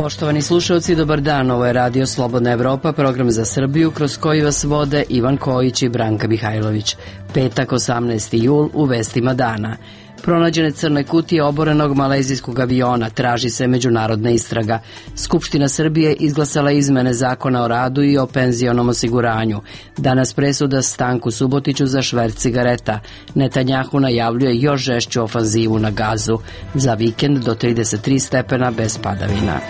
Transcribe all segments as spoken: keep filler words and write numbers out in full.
Poštovani slušalci, dobar dan. Ovo je Radio Slobodna Evropa, program za Srbiju kroz koji vas vode Ivan Kojić i Branka Mihajlović. Petak, osamnaesti jul, u vestima dana. Pronađene crne kutije oborenog malezijskog aviona, traži se međunarodna istraga. Skupština Srbije izglasala izmene zakona o radu i o penzionom osiguranju. Danas presuda Stanku Subotiću za šverc cigareta. Netanjahu najavljuje još žešću ofanzivu na Gazu. Za vikend do trideset tri stepena bez padavina.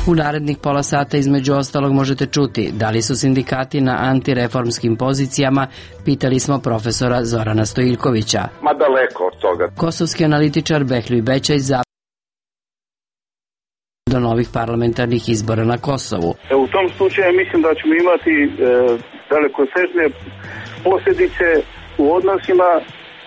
U narednih pola sata između ostalog možete čuti da li su sindikati na antireformskim pozicijama, pitali smo profesora Zorana Stojiljkovića. Ma daleko od toga. Kosovski analitičar Behljuj Bećaj za do novih parlamentarnih izbora na Kosovu. U tom slučaju mislim da ćemo imati e, dalekosežne posljedice u odnosima,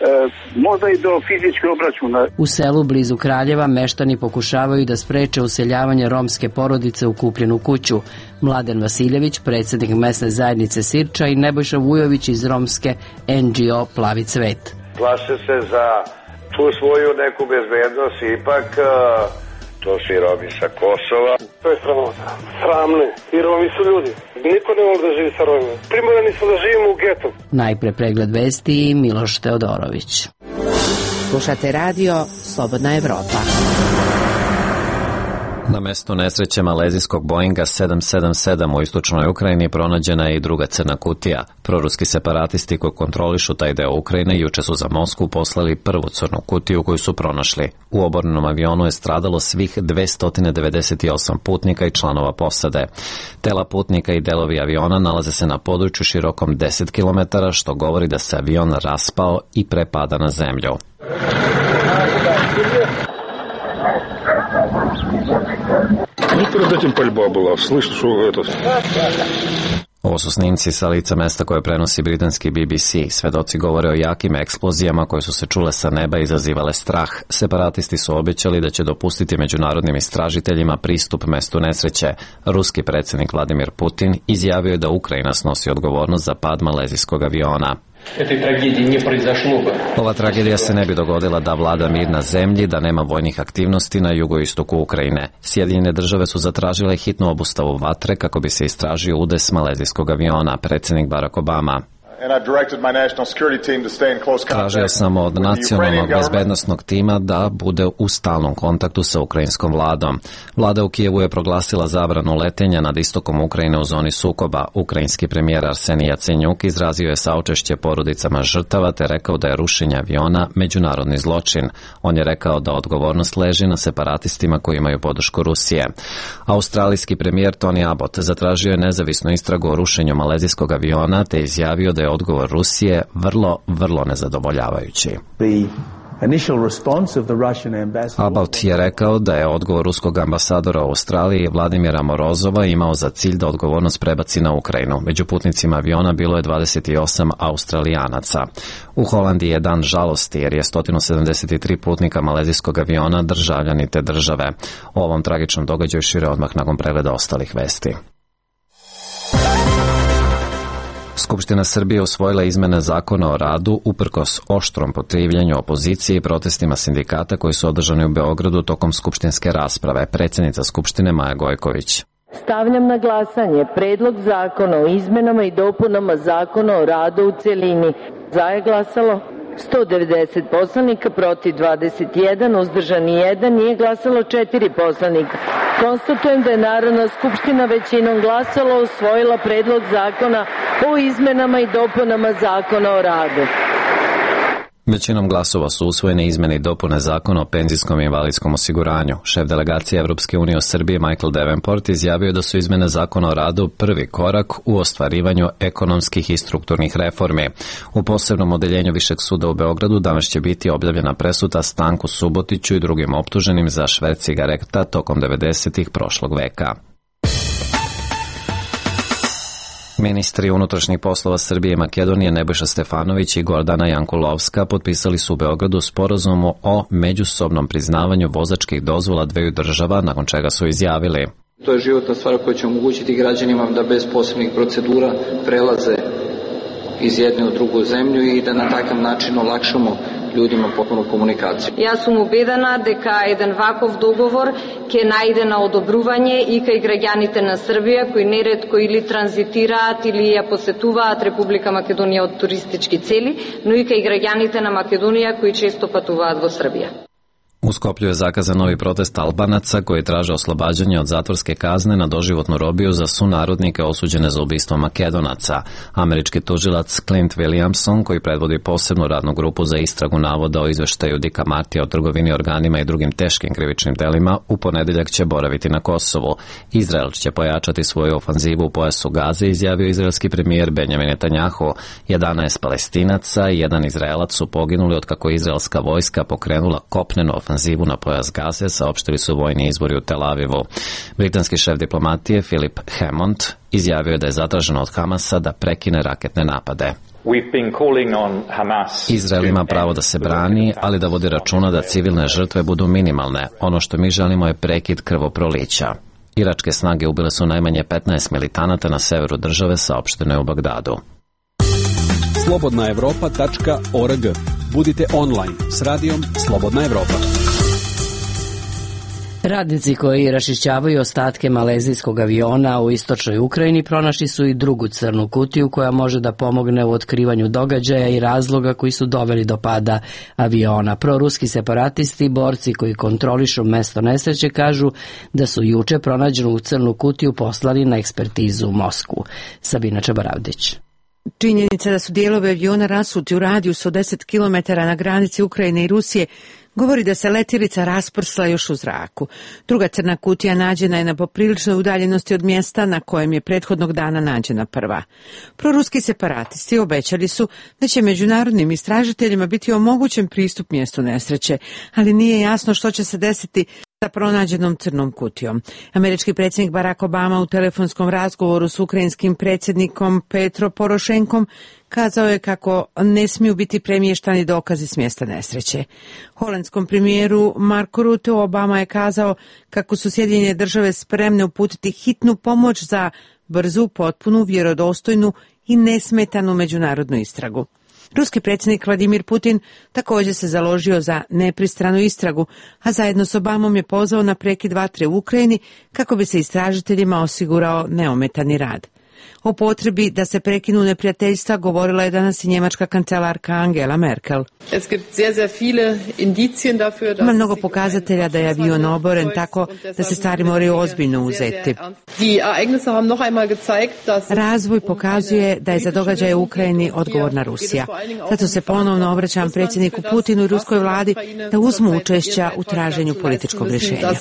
E, možda i do fizičke obračuna. U selu blizu Kraljeva meštani pokušavaju da spreče useljavanje romske porodice u kupljenu kuću. Mladen Vasiljević, predsjednik mesne zajednice Sirča, i Nebojša Vujović iz romske en dži o Plavi cvet. Plaše se za tu svoju neku bezbednost, ipak to su i Romi sa Kosova. To je sramota. Sramne. I Romi su ljudi. Niko ne voli da živi sa Romima. Primorani smo da živimo u getu. Najpre pregled vesti i Miloš Teodorović. Slušate radio Slobodna Evropa. Na mestu nesreće malezijskog Boeinga sedam sedam sedam u istočnoj Ukrajini pronađena je i druga crna kutija. Proruski separatisti koji kontrolišu taj deo Ukrajine juče su za Moskvu poslali prvu crnu kutiju koju su pronašli. U obornom avionu je stradalo svih dvesta devedeset osam putnika i članova posade. Tela putnika i delovi aviona nalaze se na području širokom deset kilometara, što govori da se avion raspao i prepada na zemlju. Ovo su snimci sa lica mesta koje prenosi britanski be be ce. Svedoci govore o jakim eksplozijama koje su se čule sa neba i izazivale strah. Separatisti su obećali da će dopustiti međunarodnim istražiteljima pristup mestu nesreće. Ruski predsjednik Vladimir Putin izjavio je da Ukrajina snosi odgovornost za pad malezijskog aviona. Ova tragedija se ne bi dogodila da vlada mir na zemlji, da nema vojnih aktivnosti na jugoistoku Ukrajine. Sjedinjene države su zatražile hitnu obustavu vatre kako bi se istražio udes malezijskog aviona, predsjednik Barack Obama. Tražio sam od nacionalnog bezbednosnog tima da bude u stalnom kontaktu sa ukrajinskom vladom. Vlada u Kijevu je proglasila zabranu letenja nad istokom Ukrajine u zoni sukoba. Ukrajinski premijer Arsenij Jacenjuk izrazio je saučešće porodicama žrtava te rekao da je rušenje aviona međunarodni zločin. On je rekao da odgovornost leži na separatistima koji imaju podršku Rusije. Australijski premijer Tony Abbott zatražio je nezavisnu istragu o rušenju malezijskog aviona te izjavio da je odgovor Rusije vrlo, vrlo nezadovoljavajući. Abbott je rekao da je odgovor ruskog ambasadora u Australiji Vladimira Morozova imao za cilj da odgovornost prebaci na Ukrajinu. Među putnicima aviona bilo je dvadeset osam Australijanaca. U Holandiji je dan žalosti jer je sto sedamdeset tri putnika malezijskog aviona državljani te države. O ovom tragičnom događaju šire odmah nakon pregleda ostalih vesti. Skupština Srbije usvojila izmene zakona o radu uprkos oštrom protivljenju opozicije i protestima sindikata koji su održani u Beogradu tokom skupštinske rasprave. Predsjednica Skupštine Maja Gojković. Stavljam na glasanje Predlog zakona o izmenama i dopunama Zakona o radu u celini. Za je glasalo sto devedeset poslanika, protiv dvadeset jedan, uzdržani jedan, nije glasalo četiri poslanika. Konstatujem da je Narodna skupština većinom glasala usvojila Predlog zakona o izmenama i dopunama Zakona o radu. Većinom glasova su usvojene izmene i dopune Zakona o penzijskom i invalidskom osiguranju. Šef delegacije Evropske unije u Srbiji Michael Davenport izjavio da su izmene Zakona o radu prvi korak u ostvarivanju ekonomskih i strukturnih reformi. U posebnom odeljenju Višeg suda u Beogradu danas će biti objavljena presuda Stanku Subotiću i drugim optuženim za šverc cigareta tokom devedesetih prošlog veka. Ministri unutrašnjih poslova Srbije i Makedonije Nebojša Stefanović i Gordana Jankulovska potpisali su u Beogradu sporazum o međusobnom priznavanju vozačkih dozvola dveju država, nakon čega su izjavili: To je životna stvar koja će omogućiti građanima da bez posebnih procedura prelaze iz jedne u drugu zemlju i da na takav način olakšamo ljudima potpunu komunikaciju. Jaz sem ubedena, дека еден ваков договор ќе најде на одобрување и кај граѓаните на Србија кои неретко или транзитираат или ја посетуваат Република Македонија од туристички цели, но и кај граѓаните на Македонија кои често патуваат во Србија. U Skoplju je zakazan novi protest Albanaca koji traže oslobađanje od zatvorske kazne na doživotnu robiju za sunarodnike osuđene za ubistvo Makedonaca. Američki tužilac Clint Williamson, koji predvodi posebnu radnu grupu za istragu navoda o izveštaju Dicka Martija o trgovini organima i drugim teškim krivičnim delima, u ponedeljak će boraviti na Kosovu. Izrael će pojačati svoju ofanzivu u pojasu Gaze, izjavio izraelski premijer Benjamin Netanjahu. jedanaest Palestinaca i jedan Izraelac su poginuli od kako je izraelska vojska pokrenula kopnenu ofanzivu na pojas Gaze, saopštili su vojni izvori u Tel Avivu. Britanski šef diplomatije Philip Hammond izjavio je da je zatraženo od Hamasa da prekine raketne napade. Izrael ima pravo da se brani, ali da vodi računa da civilne žrtve budu minimalne. Ono što mi želimo je prekid krvoprolića. Iračke snage ubile su najmanje petnaest militanata na severu države, saopšteno je u Bagdadu. slobodna evropa tačka org. Budite online s radijom Slobodna Evropa. Radnici koji rašišćavaju ostatke malezijskog aviona u istočnoj Ukrajini pronašli su i drugu crnu kutiju koja može da pomogne u otkrivanju događaja i razloga koji su doveli do pada aviona. Proruski separatisti, borci koji kontrolišu mesto nesreće, kažu da su juče pronađenu crnu kutiju poslali na ekspertizu u Moskvu. Sabina Čabaravdić. Činjenica da su dijelovi aviona rasuti u radijusu od deset kilometara na granici Ukrajine i Rusije govori da se letjelica rasprsla još u zraku. Druga crna kutija nađena je na popriličnoj udaljenosti od mjesta na kojem je prethodnog dana nađena prva. Proruski separatisti obećali su da će međunarodnim istražiteljima biti omogućen pristup mjestu nesreće, ali nije jasno što će se desiti sa pronađenom crnom kutijom. Američki predsjednik Barack Obama u telefonskom razgovoru s ukrajinskim predsjednikom Petro Porošenkom kazao je kako ne smiju biti premještani dokazi s mjesta nesreće. Holandskom premijeru Marku Rutte Obama je kazao kako su Sjedinjene države spremne uputiti hitnu pomoć za brzu, potpunu, vjerodostojnu i nesmetanu međunarodnu istragu. Ruski predsjednik Vladimir Putin također se založio za nepristranu istragu, a zajedno s Obamom je pozvao na prekid vatre u Ukrajini kako bi se istražiteljima osigurao neometani rad. O potrebi da se prekinu neprijateljstva govorila je danas i njemačka kancelarka Angela Merkel. Ima mnogo pokazatelja da je avion oboren, tako da se stvari moraju ozbiljno uzeti. Razvoj pokazuje da je za događaje u Ukrajini odgovorna Rusija. Zato se ponovno obraćam predsjedniku Putinu i ruskoj vladi da uzmu učešća u traženju političkog rješenja.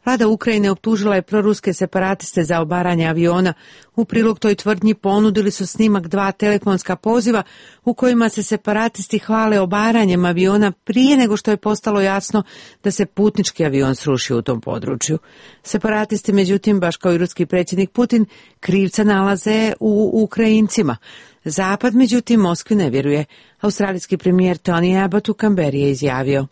Vlada Ukrajine optužila je proruske separatiste za obaranje aviona. U prilog toj tvrdnji ponudili su snimak dva telefonska poziva u kojima se separatisti hvale obaranjem aviona prije nego što je postalo jasno da se putnički avion srušio u tom području. Separatisti, međutim, baš kao i ruski predsjednik Putin, krivca nalaze u Ukrajincima. Zapad, međutim, Moskvi ne vjeruje. Australijski premijer Tony Abbott u Kamberi je izjavio: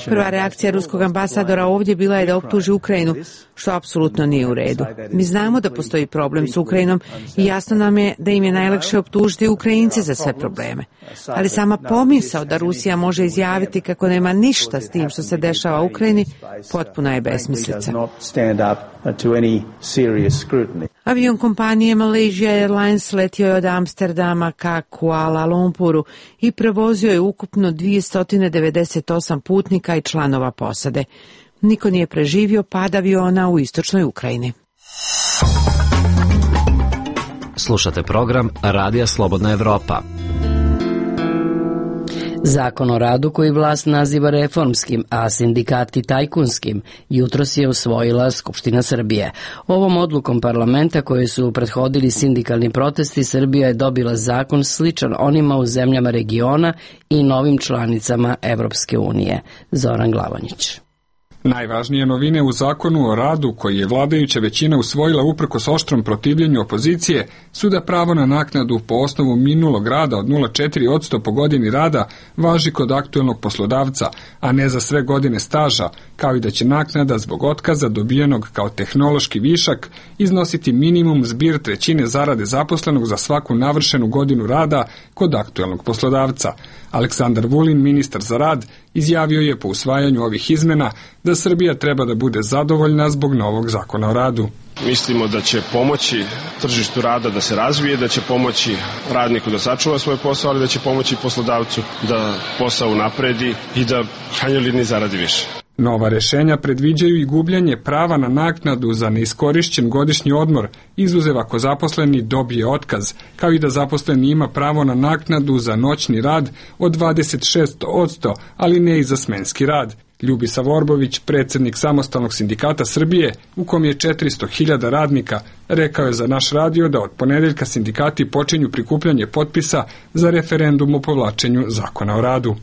prva reakcija ruskog ambasadora ovdje bila je da optuži Ukrajinu, što apsolutno nije u redu. Mi znamo da postoji problem s Ukrajinom i jasno nam je da im je najlakše optužiti Ukrajince za sve probleme. Ali sama pomisao da Rusija može izjaviti kako nema ništa s tim što se dešava u Ukrajini, potpuna je besmislica. Avion kompanije Malaysia Airlines letio je od Amsterdama ka Kuala Lumpuru i prevozio je ukupno dvjesto devedeset osam putnika i članova posade. Niko nije preživio pad aviona u istočnoj Ukrajini. Slušate program Radija Slobodna Evropa. Zakon o radu koji vlast naziva reformskim, a sindikati tajkunskim, jutros je usvojila Skupština Srbije. Ovom odlukom parlamenta koje su prethodili sindikalni protesti, Srbija je dobila zakon sličan onima u zemljama regiona i novim članicama Evropske unije. Zoran Glavonjić. Najvažnije novine u zakonu o radu, koji je vladajuća većina usvojila uprkos oštrom protivljenju opozicije, su da pravo na naknadu po osnovu minulog rada od nula zarez četiri posto po godini rada važi kod aktuelnog poslodavca, a ne za sve godine staža, kao i da će naknada zbog otkaza dobijenog kao tehnološki višak iznositi minimum zbir trećine zarade zaposlenog za svaku navršenu godinu rada kod aktuelnog poslodavca. Aleksandar Vulin, ministar za rad, izjavio je po usvajanju ovih izmena da Srbija treba da bude zadovoljna zbog novog zakona o radu. Mislimo da će pomoći tržištu rada da se razvije, da će pomoći radniku da sačuva svoj posao, ali da će pomoći poslodavcu da posao unapredi i da krajnjoj liniji zaradi više. Nova rešenja predviđaju i gubljenje prava na naknadu za neiskorišćen godišnji odmor, izuzev ako zaposleni dobije otkaz, kao i da zaposleni ima pravo na naknadu za noćni rad od dvadeset šest posto, ali ne i za smenski rad. Ljubisa Vorbović, predsjednik Samostalnog sindikata Srbije, u kom je četiristo hiljada radnika, rekao je za naš radio da od ponedeljka sindikati počinju prikupljanje potpisa za referendum o povlačenju zakona o radu.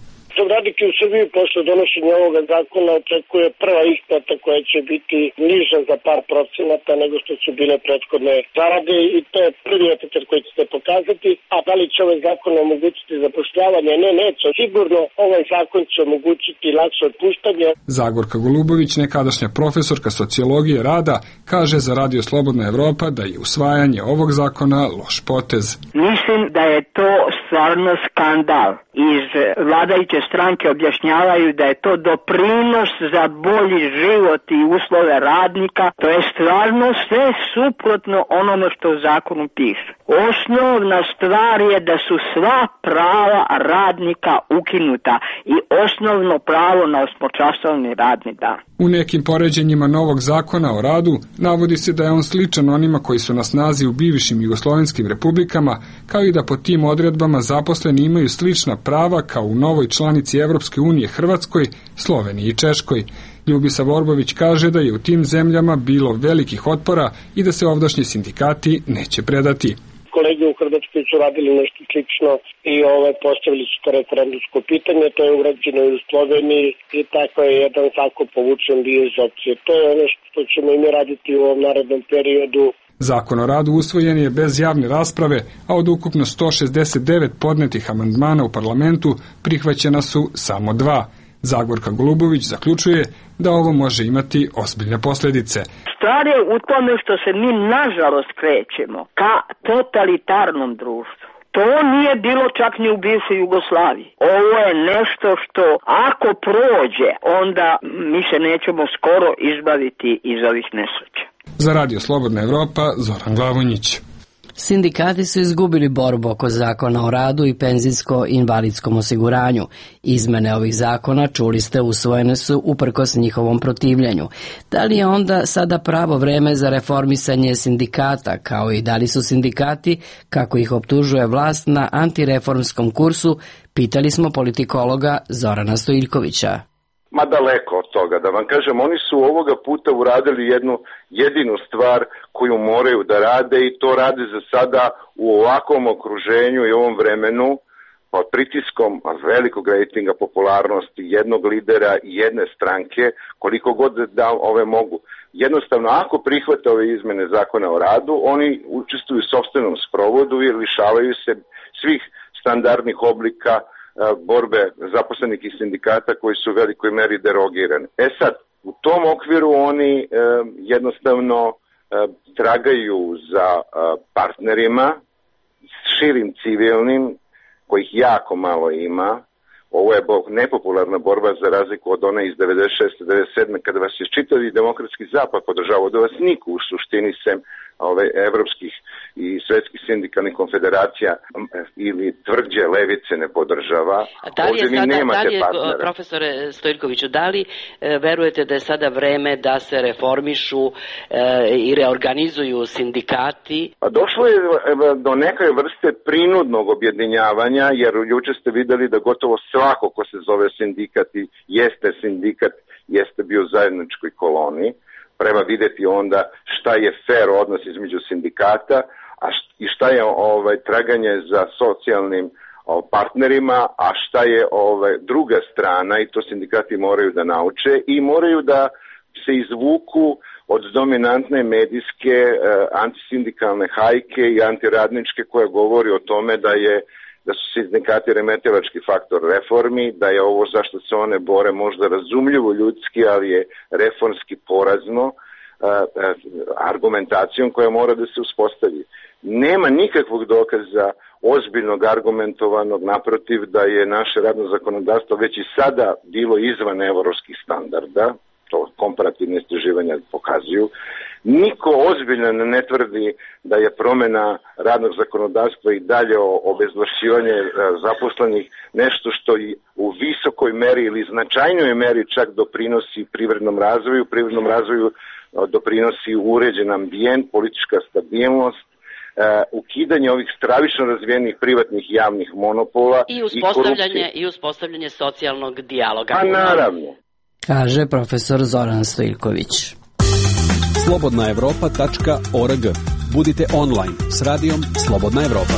Radnike u Srbiji posle donošenja ovoga zakona očekuje prva isplata koja će biti niža za par procenata nego što su bile prethodne zarade i to je prvi efekt koji će se pokazati. A da li će ovaj zakon omogućiti zapošljavanje? Ne, neće. Sigurno ovaj zakon će omogućiti lakše otpuštanje. Zagorka Golubović, nekadašnja profesorka sociologije rada, kaže za Radio Slobodna Evropa da je usvajanje ovog zakona loš potez. Mislim da je to stvarno skandal. Iz vladajuće stranke objašnjavaju da je to doprinos za bolji život i uslove radnika. To je stvarno sve suprotno onome što u zakonu piše. Osnovna stvar je da su sva prava radnika ukinuta i osnovno pravo na osmočasovni radni dan. U nekim poređenjima novog zakona o radu navodi se da je on sličan onima koji su na snazi u bivšim jugoslovenskim republikama, kao i da po tim odredbama zaposleni imaju slična prava kao u novoj članici Evropske unije Hrvatskoj, Sloveniji i Češkoj. Ljubisa Vorbović kaže da je u tim zemljama bilo velikih otpora i da se ovdašnji sindikati neće predati. Kolege u Hrvatskoj su radili nešto slično i ovaj, postavili su to referendumsko pitanje, to je urađeno i u Sloveniji i tako je jedan tako povučen bio iz opcije. To je ono što ćemo i mi raditi u ovom narednom periodu. Zakon o radu usvojen je bez javne rasprave, a od ukupno sto šezdeset devet podnetih amandmana u parlamentu prihvaćena su samo dva. Zagorka Golubović zaključuje da ovo može imati ozbiljne posljedice. Stvar je u tome što se mi nažalost krećemo ka totalitarnom društvu. To nije bilo čak ni u bivšoj Jugoslaviji. Ovo je nešto što ako prođe, onda mi se nećemo skoro izbaviti iz ovih nesreća. Za Radio Slobodna Evropa, Zoran Glavonjić. Sindikati su izgubili borbu oko zakona o radu i penzijsko-invalidskom osiguranju. Izmene ovih zakona, čuli ste, usvojene su uprkos njihovom protivljenju. Da li je onda sada pravo vreme za reformisanje sindikata, kao i da li su sindikati, kako ih optužuje vlast, na antireformskom kursu, pitali smo politikologa Zorana Stojiljkovića. Ma daleko od toga, da vam kažem, oni su ovoga puta uradili jednu jedinu stvar koju moraju da rade i to rade za sada u ovakvom okruženju i ovom vremenu pod pritiskom velikog rejtinga popularnosti jednog lidera i jedne stranke, koliko god da ove mogu. Jednostavno, ako prihvate ove izmene zakona o radu, oni učestvuju u sopstvenom sprovodu i lišavaju se svih standardnih oblika borbe zaposlenih i sindikata koji su u velikoj meri derogirani. E sad, u tom okviru oni e, jednostavno e, tragaju za e, partnerima, širim civilnim, kojih jako malo ima. Ovo je nepopularna borba za razliku od one iz devedeset šeste devedeset sedme kada vas je čitavi demokratski zapad podržavao, da vas niko u suštini sem ove evropskih i svetskih sindikalnih konfederacija ili tvrđe levice ne podržava. Da li je, sada, da li je profesore Stojiljkoviću, da li e, verujete da je sada vreme da se reformišu e, i reorganizuju sindikati? Pa došlo je do neke vrste prinudnog objedinjavanja, jer juče ste videli da gotovo svako ko se zove sindikat i jeste sindikat, jeste bio u zajedničkoj koloni. Treba videti onda šta je fair odnos između sindikata a i šta je ovaj traganje za socijalnim partnerima, a šta je ovaj, druga strana, i to sindikati moraju da nauče i moraju da se izvuku od dominantne medijske eh, antisindikalne hajke i antiradničke koja govori o tome da je da su sindikati remetilački faktor reformi, da je ovo zašto se one bore možda razumljivo ljudski, ali je reformski porazno eh, eh, argumentacijom koja mora da se uspostavi. Nema nikakvog dokaza ozbiljnog, argumentovanog, naprotiv da je naše radno zakonodavstvo već i sada bilo izvan evropskih standarda, to komparativne istraživanja pokazuju. Niko ozbiljno ne tvrdi da je promena radnog zakonodavstva i dalje obezvlašćivanje zaposlenih nešto što i u visokoj meri ili značajnoj meri čak doprinosi privrednom razvoju, privrednom razvoju doprinosi uređen ambijent, politička stabilnost, Uh, ukidanje ovih stravično razvijenih privatnih javnih monopola i uspostavljanje i, i uspostavljanje socijalnog dijaloga. Pa naravno. Kaže profesor Zoran Stojilković. slobodna evropa tačka org. Budite online s radijom Slobodna Evropa.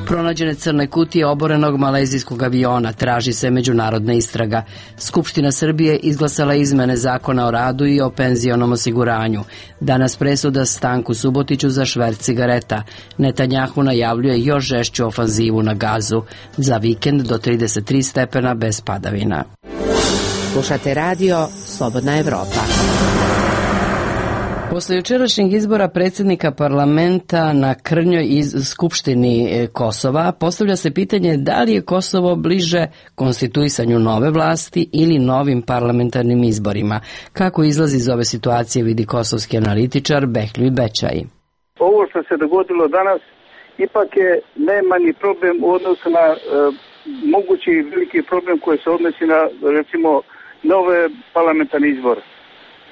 Pronađene crne kutije oborenog malezijskog aviona, traži se međunarodna istraga. Skupština Srbije izglasala izmene zakona o radu i o penzionom osiguranju. Danas presuda Stanku Subotiću za šverc cigareta. Netanjahu najavljuje još žešću ofanzivu na Gazu. Za vikend do trideset tri stepena bez padavina. Slušate radio Slobodna Evropa. Posle jučerašnjeg izbora predsjednika parlamenta na krnjoj iz Skupštini Kosova postavlja se pitanje da li je Kosovo bliže konstituisanju nove vlasti ili novim parlamentarnim izborima. Kako izlazi iz ove situacije vidi kosovski analitičar Behljuj Bećaj. Ovo što se dogodilo danas ipak je najmanji problem u odnosu na e, mogući veliki problem koji se odnosi na recimo nove parlamentarne izbore.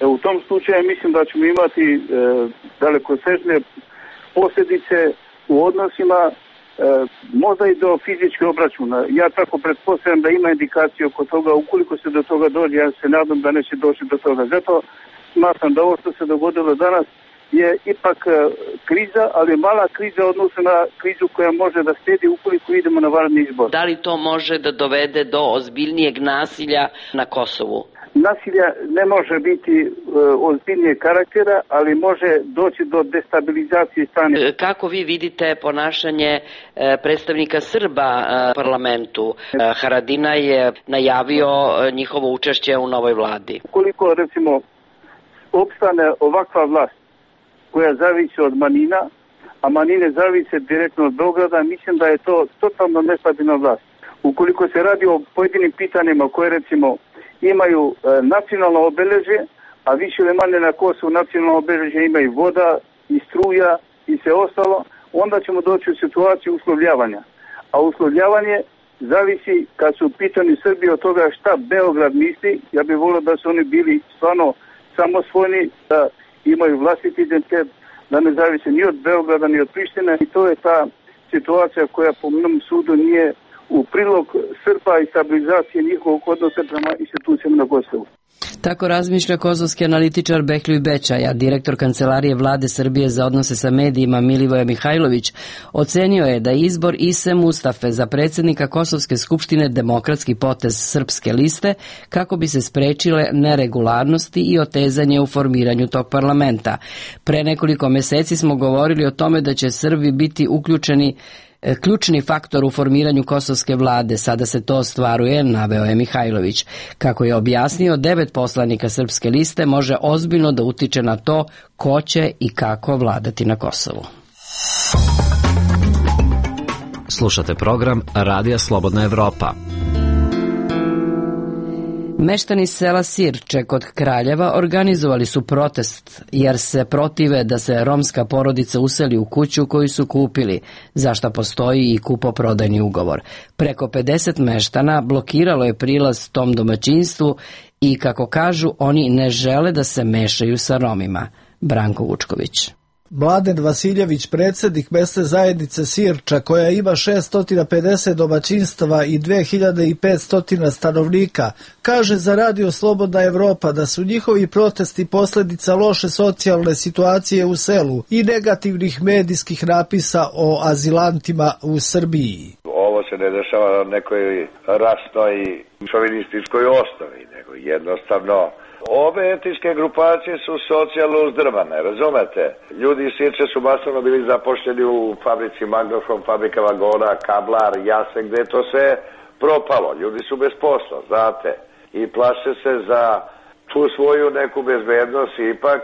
U tom slučaju mislim da ćemo imati e, dalekosežne posljedice u odnosima, e, možda i do fizičke obračuna. Ja tako pretpostavljam da ima indikacije oko toga, ukoliko se do toga dođe, ja se nadam da neće doći do toga. Zato smatram da ovo što se dogodilo danas je ipak e, kriza, ali mala kriza odnosno na krizu koja može da slijedi ukoliko idemo na vanredni izbor. Da li to može da dovede do ozbiljnijeg nasilja na Kosovu? Nasilja ne može biti e, ozbiljnijeg karaktera, ali može doći do destabilizacije stanja. Kako vi vidite ponašanje e, predstavnika Srba e, parlamentu? E, Haradinaj je najavio e, njihovo učešće u novoj vladi. Koliko recimo opstane ovakva vlast koja zavisi od manjina, a manjine zavise direktno od Beograda, mislim da je to totalno nestabilna vlast. Ukoliko se radi o pojedinim pitanjima koje recimo imaju e, nacionalno obeležje, a više ili manje na Kosovu nacionalno obeležje imaju voda i struja i sve ostalo, onda ćemo doći u situaciju uslovljavanja. A uslovljavanje zavisi kad su u pitanju Srbije od toga šta Beograd misli. Ja bih volio da su oni bili stvarno samosvojni, da imaju vlastiti identitet, da ne zavise ni od Beograda ni od Prištine, i to je ta situacija koja po mnom sudu nije u prilog Srba i stabilizacije njihovog odnosa prema institucijama na Kosovu. Tako razmišlja kosovski analitičar Behljuj Bećaj, a direktor Kancelarije Vlade Srbije za odnose sa medijima Milivoje Mihajlović ocenio je da izbor Ise Mustafe za predsjednika Kosovske skupštine demokratski potez Srpske liste kako bi se sprečile neregularnosti i otezanje u formiranju tog parlamenta. Pre nekoliko meseci smo govorili o tome da će Srbi biti uključeni ključni faktor u formiranju kosovske vlade. Sada se to ostvaruje, naveo je Mihajlović. Kako je objasnio, devet poslanika Srpske liste može ozbiljno da utiče na to ko će i kako vladati na Kosovu. Slušate program Radija Slobodna Evropa. Meštani sela Sirče kod Kraljeva organizovali su protest jer se protive da se romska porodica useli u kuću koju su kupili, za šta postoji i kupoprodajni ugovor. Preko pedeset meštana blokiralo je prilaz tom domaćinstvu i, kako kažu, oni ne žele da se mešaju sa Romima. Branko Vučković. Mladen Vasiljević, predsjednik mesne zajednice Sirča, koja ima šesto pedeset domaćinstava i dve hiljade petsto stanovnika, kaže za Radio Slobodna Evropa da su njihovi protesti posljedica loše socijalne situacije u selu i negativnih medijskih napisa o azilantima u Srbiji. Ovo se ne dešava na nekoj rasnoj i šovinističkoj osnovi, nego jednostavno ove etničke grupacije su socijalno uzdrmane, razumete? Ljudi iz Sirče su masovno bili zapošljeni u fabrici Magnofon, fabrika vagona, Kablar, Jasen, gde je to sve propalo. Ljudi su bez posla, znate, i plaše se za tu svoju neku bezbednost, ipak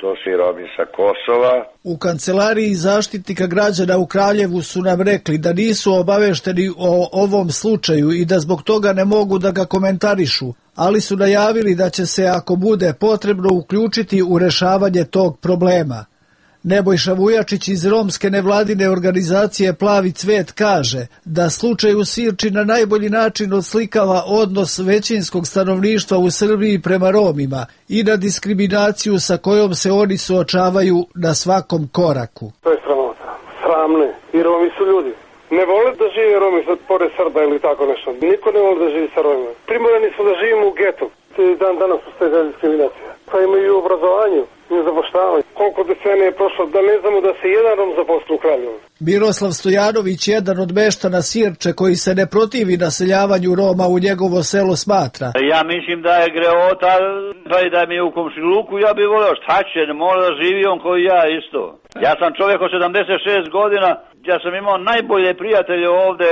to su i Romi sa Kosova. U kancelariji zaštitnika građana u Kraljevu su nam rekli da nisu obavešteni o ovom slučaju i da zbog toga ne mogu da ga komentarišu, ali su najavili da će se, ako bude potrebno, uključiti u rešavanje tog problema. Nebojša Vujačić iz romske nevladine organizacije Plavi cvet kaže da slučaj u Sirči na najbolji način odslikava odnos većinskog stanovništva u Srbiji prema Romima i na diskriminaciju sa kojom se oni suočavaju na svakom koraku. To je sramota. Sramne. I Romi su ljudi. Ne vole da žive Romi pored Srba ili tako nešto. Niko ne vole da živi sa Romima. Primorani su da živimo u getu. Dan danas postoje ta diskriminacija. Pa imaju i u obrazovanju, i u zapošljavanju. Koliko decenije je prošlo da ne znamo da se jedan Rom zaposli u Kraljevu. Miroslav Stojanović, jedan od meštana Sirče koji se ne protivi naseljavanju Roma u njegovo selo, smatra. Ja mislim da je greota, pa i da mi je u komšiluku, ja bih voleo šta će, ne mora da živi on koji ja isto. Ja sam čovjek od sedamdeset šest godina, ja sam imao najbolje prijatelje ovde,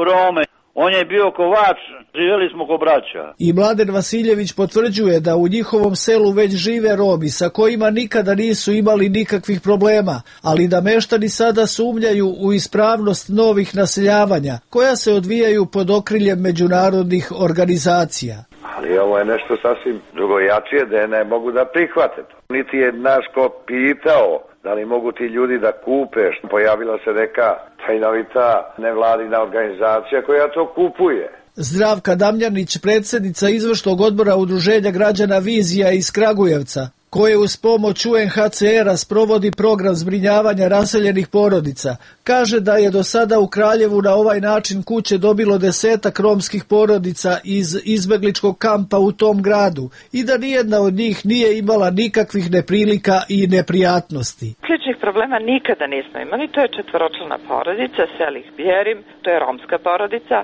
Rome. On je bio kovač, živjeli smo ko braća. I Mladen Vasiljević potvrđuje da u njihovom selu već žive Romi sa kojima nikada nisu imali nikakvih problema, ali da meštani sada sumnjaju u ispravnost novih naseljavanja, koja se odvijaju pod okriljem međunarodnih organizacija. Ali ovo je nešto sasvim drugojačije da ne mogu da prihvate to. Niti je naš ko pitao da li mogu ti ljudi da kupe. Pojavila se neka tajnovita nevladina organizacija koja to kupuje. Zdravka Damljanić, predsjednica izvršnog odbora Udruženja građana Vizija iz Kragujevca, koje uz pomoć U N H C R-a sprovodi program zbrinjavanja raseljenih porodica, kaže da je do sada u Kraljevu na ovaj način kuće dobilo desetak romskih porodica iz izbegličkog kampa u tom gradu i da nijedna od njih nije imala nikakvih neprilika i neprijatnosti. Sličnih problema nikada nismo imali, to je četvoročlana porodica, Selih Bjerim, to je romska porodica,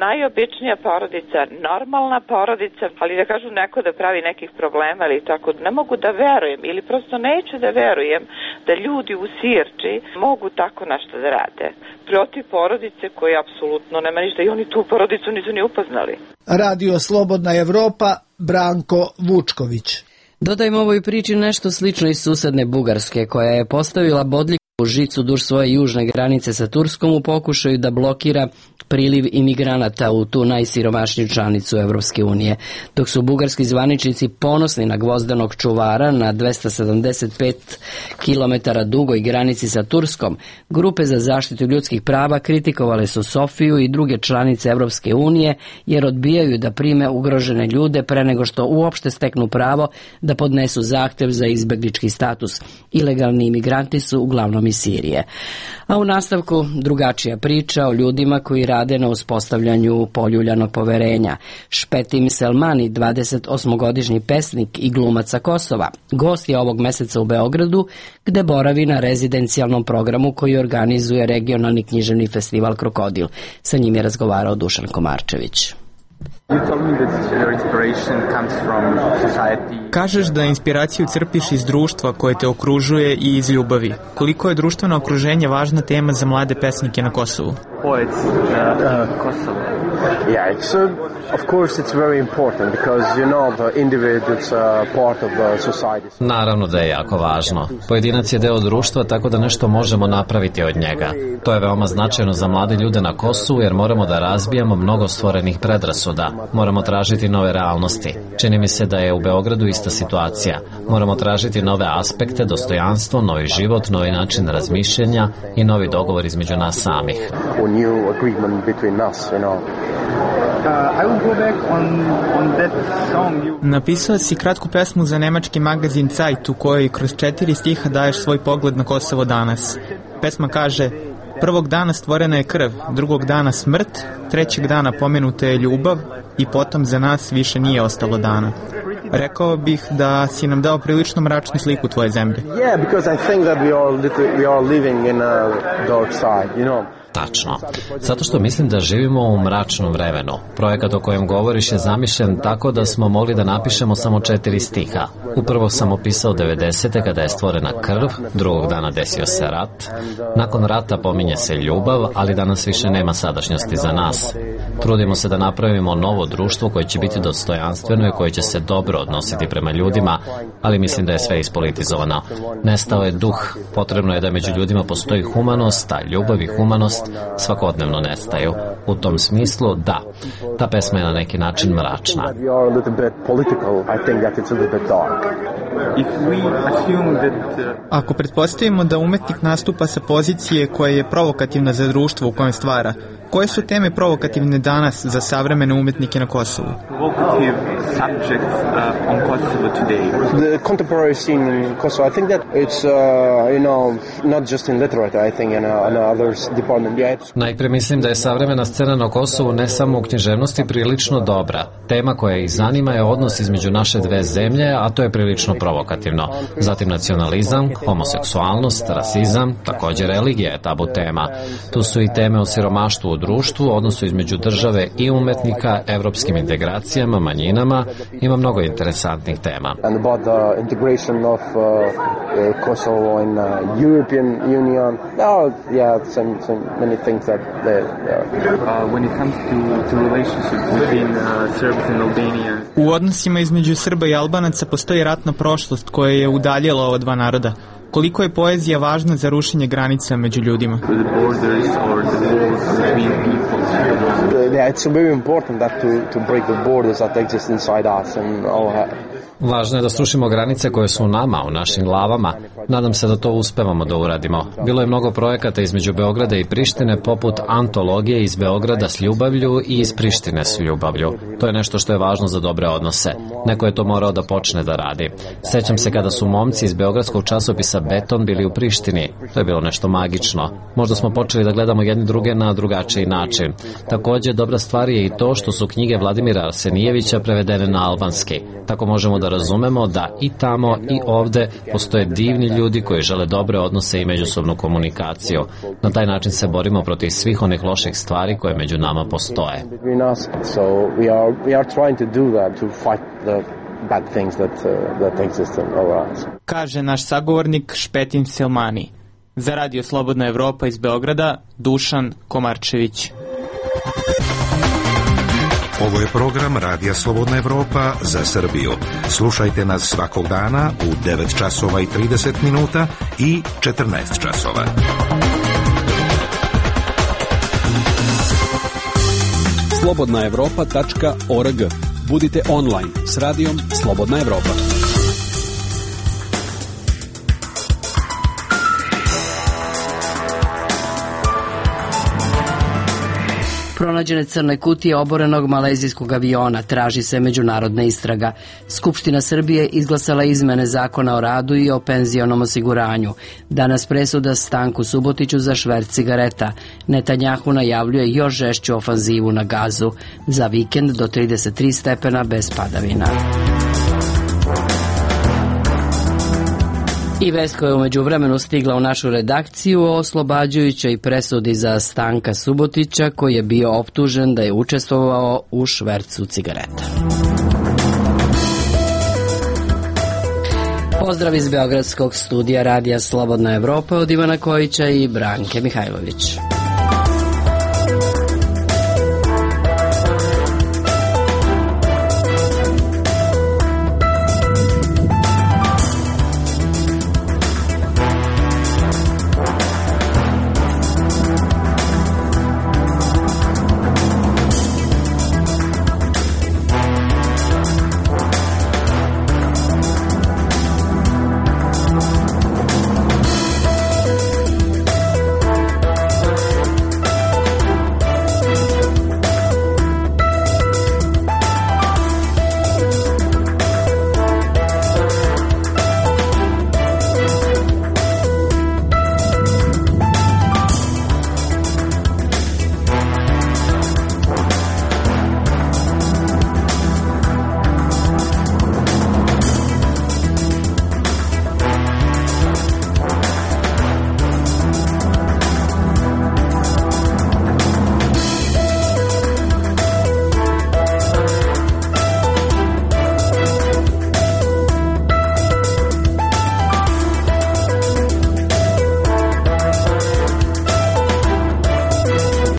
najobičnija porodica, normalna porodica, ali da kažu neko da pravi nekih problema ili tako, ne mogu da verujem ili prosto neću da verujem da ljudi u Sirči mogu tako nešto da rade protiv porodice koji apsolutno nema ništa i oni tu porodicu nisu ni upoznali. Radio Slobodna Evropa, Branko Vučković. Dodajmo ovoj priči nešto slično iz susedne Bugarske, koja je postavila bodljik u žicu duž svoje južne granice sa Turskom u pokušaju da blokira priliv imigranata u tu najsiromašniju članicu Evropske unije. Dok su bugarski zvaničnici ponosni na gvozdenog čuvara na dvesta sedamdeset pet kilometara dugoj granici sa Turskom, grupe za zaštitu ljudskih prava kritikovale su Sofiju i druge članice Evropske unije jer odbijaju da prime ugrožene ljude pre nego što uopšte steknu pravo da podnesu zahtev za izbeglički status. Ilegalni imigranti su uglavnom iz Sirije. A u nastavku drugačija priča o ljudima koji rade na uspostavljanju poljuljanog poverenja. Špetim Selmani, dvadesetosmogodišnji pesnik i glumac sa Kosova, gost je ovog meseca u Beogradu, gde boravi na rezidencijalnom programu koji organizuje regionalni književni festival Krokodil. Sa njim je razgovarao Dušan Komarčević. Kažeš da inspiraciju crpiš iz društva koje te okružuje i iz ljubavi. Koliko je društveno okruženje važna tema za mlade pesnike na Kosovu? Yeah, it's uh, of course it's very important because you know the individual is uh, part of the society. Naravno da je jako važno. Pojedinac je deo društva, tako da nešto možemo napraviti od njega. To je veoma značajno za mlade ljude na Kosovu jer moramo da razbijamo mnogo stvorenih predrasuda. Moramo tražiti nove realnosti. Čini mi se da je u Beogradu ista situacija. Moramo tražiti nove aspekte, dostojanstvo, novi život, novi način razmišljanja i novi dogovor između nas samih. A new agreement between us, you know. Napisao si kratku pesmu za nemački magazin Zeit u kojoj kroz četiri stiha daješ svoj pogled na Kosovo danas. Pesma kaže: prvog dana stvorena je krv, drugog dana smrt, trećeg dana pomenuta je ljubav i potom za nas više nije ostalo dana. Rekao bih da si nam dao prilično mračnu sliku tvoje zemlje. Yeah, because I think that we are, little, we are living in a dark side, you know. Tačno. Zato što mislim da živimo u mračnom vremenu. Projekat o kojem govoriš je zamišljen tako da smo mogli da napišemo samo četiri stiha. Upravo sam opisao devedesete kada je stvorena krv, drugog dana desio se rat. Nakon rata pominje se ljubav, ali danas više nema sadašnjosti za nas. Trudimo se da napravimo novo društvo koje će biti dostojanstveno i koje će se dobro odnositi prema ljudima, ali mislim da je sve ispolitizovano. Nestao je duh. Potrebno je da među ljudima postoji humanost, a ljubav i humanost svakodnevno nestaju. U tom smislu, da, ta pesma je na neki način mračna. Ako pretpostavimo da umetnik nastupa sa pozicije koja je provokativna za društvo u kojem stvara, koje su teme provokativne danas za savremene umetnike na Kosovu? The contemporary scene in Kosovo, I think that it's, uh, you know, not just in literature, I think, in, uh, in others department. Yeah, it's... Najpre mislim da je savremena scena na Kosovu ne samo u književnosti prilično dobra. Tema koja ih zanima je odnos između naše dve zemlje, a to je prilično provokativno. Zatim nacionalizam, homoseksualnost, rasizam, također religija je tabu tema. Tu su i teme o siromaštvu u društvu, odnosu između države i umetnika, evropskim integracijama, manjinama. Ima mnogo interesantnih tema. And about the integration of uh, uh, Kosovo in uh, European Union. Oh, yeah, some, some many things that they, uh, when it comes to, to relationships between uh, Serbs and Albania. U odnosima između Srba i Albanaca postoji ratna prošlost koja je udaljila ova dva naroda. Koliko je poezija važna za rušenje granica među ljudima? Yeah, it's very important that to to break the borders that exist inside us and all that. Važno je da srušimo granice koje su u nama, u našim glavama. Nadam se da to uspevamo da uradimo. Bilo je mnogo projekata između Beograda i Prištine, poput antologije iz Beograda s ljubavlju i iz Prištine s ljubavlju. To je nešto što je važno za dobre odnose. Neko je to morao da počne da radi. Sećam se kada su momci iz beogradskog časopisa Beton bili u Prištini. To je bilo nešto magično. Možda smo počeli da gledamo jedni druge na drugačiji način. Također, dobra stvar je i to što su knjige Vladimira Arsenijevića prevedene na albanski. Tako možemo da razumemo da i tamo i ovde postoje divni ljudi koji žele dobre odnose i međusobnu komunikaciju. Na taj način se borimo protiv svih onih loših stvari koje među nama postoje. Kaže naš sagovornik Špetin Selmani. Za Radio Slobodna Evropa iz Beograda, Dušan Komarčević. Ovo je program Radija Slobodna Evropa za Srbiju. Slušajte nas svakog dana u devet časova i trideset minuta i četrnaest časova. slobodna evropa tačka org. Budite online s radijom Slobodna Evropa. Pronađene crne kutije oborenog malezijskog aviona, traži se međunarodna istraga. Skupština Srbije izglasala izmene zakona o radu i o penzionom osiguranju. Danas presuda Stanku Subotiću za šverc cigareta. Netanjahu najavljuje još žešću ofanzivu na Gazu. Za vikend do trideset tri stepena bez padavina. I vest koja je umeđu vremenu stigla u našu redakciju o oslobađajućoj presudi za Stanka Subotića, koji je bio optužen da je učestvovao u švercu cigareta. Pozdrav iz beogradskog studija Radija Slobodna Evropa od Ivana Kojića i Branke Mihajlović.